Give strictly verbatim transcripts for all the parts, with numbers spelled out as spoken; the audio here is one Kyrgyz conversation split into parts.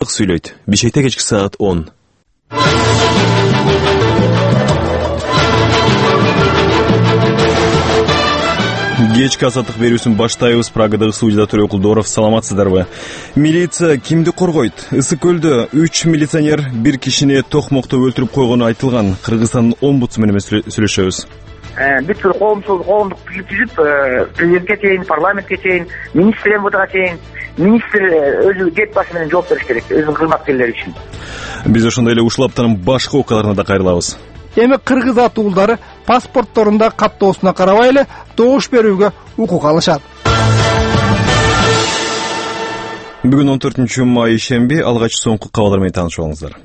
Сүйлөйт. Бишкекте кечки саат он. Кечки азаттык берүүсүн баштайбыз. Прагадагы студияда Төрө Кулдоров. Саламатсыздарбы? Милиция кимди коргойт? Ысык көлдө үч милиционер бир кишини токмокто өлтүрүп койгону айтылган. Кыргызстандын омбудсмени менен сүйлөшөбүз. Бүт бир коомчулук коомдук бийлик түзүп, президентке чейин, парламентке чейин, министр МВДга чейин, министр өзү кет башы менен жооп бериш керек өзүнүн кызматкерлери үчүн. Биз ошондой эле ушул аптанын башка окуяларына да кайрылабыз. Эми кыргыз атуулдары паспортторунда каттоосуна карабай эле добуш берүүгө укук алышат. Бүгүн он төртүнчү май ишемби, алгач соңку кабарлар менен таанышып алыңыздар.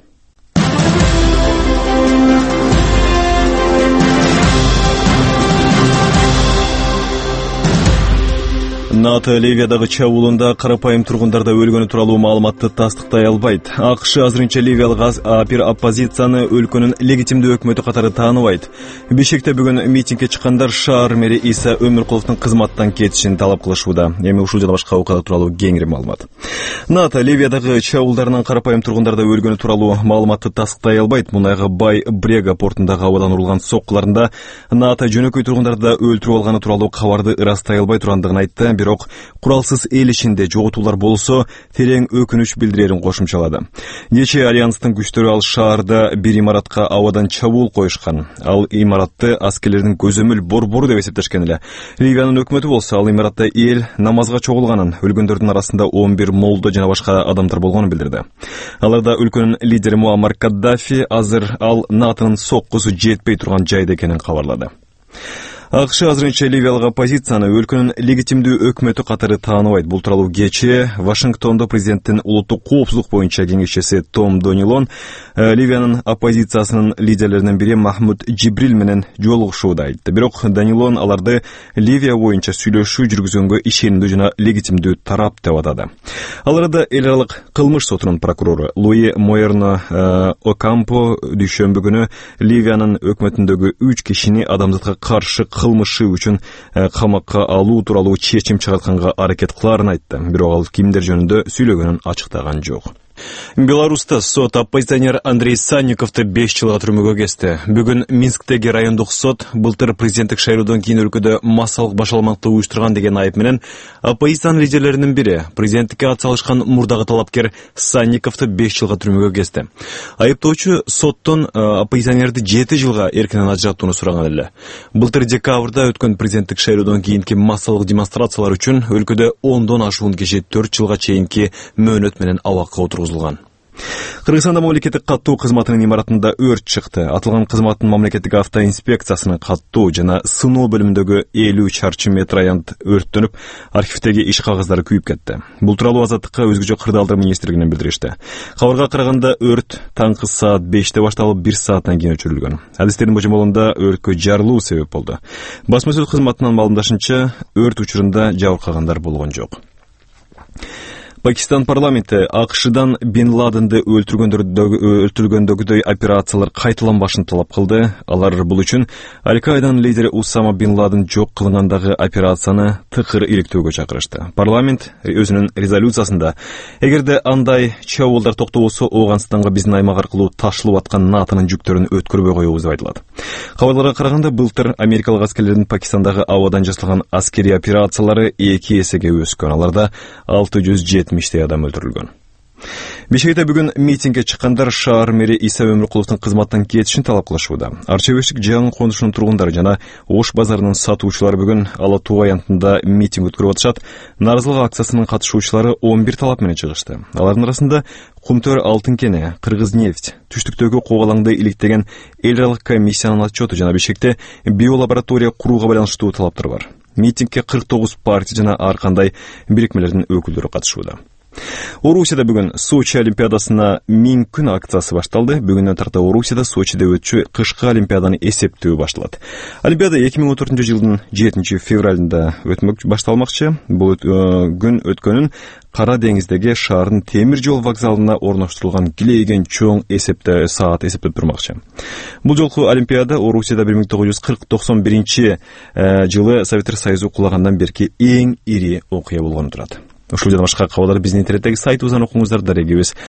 НАТО Ливиядагы чабуулунда карапайым тургундарда өлгөнү тууралуу маалыматты тастыктай албайт. АКШ азырынча ливиялык бир оппозицияны өлкөнүн легитимдүү өкмөтү катары тааныбайт. Бишкекте бүгүн митингге чыккандар шаар мэри Иса Өмүркуловдун кызматтан кетишин талап кылышууда. Эми ушул жана башка окуялар тууралуу кеңири маалымат. НАТО Ливиядагы чабуулдарынан карапайым тургундарда өлгөнү тууралуу маалыматты тастыктай албайт. Мунайга бай Брега портундагы абадан урулган соккуларында НАТО жөнөкөй тургундарды өлтүрүп алганы тууралуу кабарды ырастай албай тургандыгын айтты. Бирок куралсыз эл ичинде жоготуулар болсо терең өкүнүч билдирерин кошумчалады. Кечээ альянстын күчтөрү ал шаарда бир имаратка абадан чабуул коюшкан. Ал имаратты аскерлердин көзөмөл борбору деп эсептешкен эле. Ливиянын өкмөтү болсо ал имаратта эл намазга чогулганын, өлгөндөрдүн арасында он бир молдо жана башка адамдар болгонун билдирди. Аларда өлкөнүн лидери Муаммар Каддафи азыр ал НАТОнун соккусу жетпей турган жайда экенин кабарлады. АКШ азырынча ливиялык оппозицияны өлкөнүн легитимдүү өкмөтү катары тааныбайт. Бул тууралуу кечээ Вашингтондо президенттин улуттук коопсуздук боюнча кеңешчиси Том Донилон Ливиянын оппозициясынын лидерлеринин бири Махмуд Джибрил менен жолугушууда айтты. Бирок Донилон аларды Ливия боюнча сүйлөшүү жүргүзгөнгө ишенимдүү жана легитимдүү тарап деп атады. Ал арада эл аралык кылмыш сотунун прокурору Луи Моерно Окампо дүйшөмбү күнү Ливиянын өкмөтүндөгү үч кишини адамзатка каршы кылмышы үчүн камакка алуу тууралуу чечим чыгартканга аракет кылаарын айтты. Бирок ал кимдер жөнүндө сүйлөгөнүн ачыктаган жок. Беларуста сот оппозиционер Андрей Санниковду беш жылга түрмөгө кести. Бүгүн Минсктеги райондук сот былтыр президенттик шайлоодон кийин өлкөдө массалык башаламакты уюштурган деген айып менен оппозициянын лидерлеринин бири, президенттикке ат салышкан мурдагы талапкер Санниковду беш жылга түрмөгө кести. Айыптоочу соттон оппозиционерди жети жылга эркинен ажыраттууну сураган эле. Былтыр декабрда өткөн президенттик шайлоодон кийинки массалык демонстрациялар үчүн өлкөдө ондон ашуун киши төрт жылга чейинки мөөнөт менен абакка отургузулган. Кыргызстанда мамлекеттик каттоо кызматынын имаратында өрт чыкты. Атылган кызматтын мамлекеттик автоинспекциясынын каттоо жана сыноо бөлүмүндөгү элүү чарчы метр аянт өрттөнүп, архивдеги иш кагаздары күйүп кетти. Бул тууралуу Азаттыкка өзгөчө кырдаалдар министрлигинен билдиришти. Кабарга караганда өрт таңкы саат беште башталып, бир сааттан кийин өчүрүлгөн. Адистердин божомолунда өрткө жарылуу себеп болду. Басма сөз кызматынын маалымдашынча, өрт учурунда жабыркагандар болгон жок. Пакистан парламенти АКШдан Бин Ладенди өлтүргөндөгүдөй операциялар кайталанбашын талап кылды. Алар бул үчүн Аль-Каиданын лидери Усама Бин Ладен жок кылынгандагы операцияны тыкыр иликтөөгө чакырышты. Парламент өзүнүн резолюциясында эгерде андай чабуулдар токтобосо, Ооганстанга биздин аймак аркылуу ташылып аткан НАТОнун жүктөрүн өткөрбөй коебуз деп айтылат. Кабарларга караганда былтыр америкалык аскерлердин Пакистандагы абадан жасалган аскерий операциялары эки эсеге өскөн. Аларда алты жүз жетимиштей адам өлтүрүлгөн. Бишкекте бүгүн митингге чыккандар шаар мэри Иса Өмүркуловдун кызматтан кетишин талап кылышууда. Арча-Бешик жаңы конушунун тургундары жана Ош базарынын сатуучулары бүгүн Ала Туу аянтында митинг өткөрүп атышат. Нааразылык акциясынын катышуучулары он бир талап менен чыгышты. Алардын арасында Кумтөр алтын кене, Кыргыз-нефть, түштүктөгү Когалаңды иликтеген эл аралык комиссиянын отчету жана Бишкекте биолаборатория курууга байланыштуу талаптар бар. Митингге кырк тогуз партия жана ар кандай бирикмелердин өкүлдөрү катышууда. Орусияда бүгүн Сочи олимпиадасына миң күн акциясы башталды. Бүгүнөн тарта Орусияда Сочиде өтчү кышкы олимпиаданы эсептөө башталат. Олимпиада эки миң он төртүнчү жылдын жетинчи февралында өтмөк башталмакчы. Бул күн өткөнүн Кара деңиздеги шаардын темир жол вокзалына орноштурулган килейген чоң эсепте саат эсептеп турмакчы. Бул жолку олимпиада Орусияда бир миң тогуз жүз кырк токсон биринчи жылы Советтер Союзу кулагандан берки эң ири окуя болгону турат. Ушул жана башка кабарлар биздин интернеттеги сайтыбыздан окуңуздар. Дарегибиз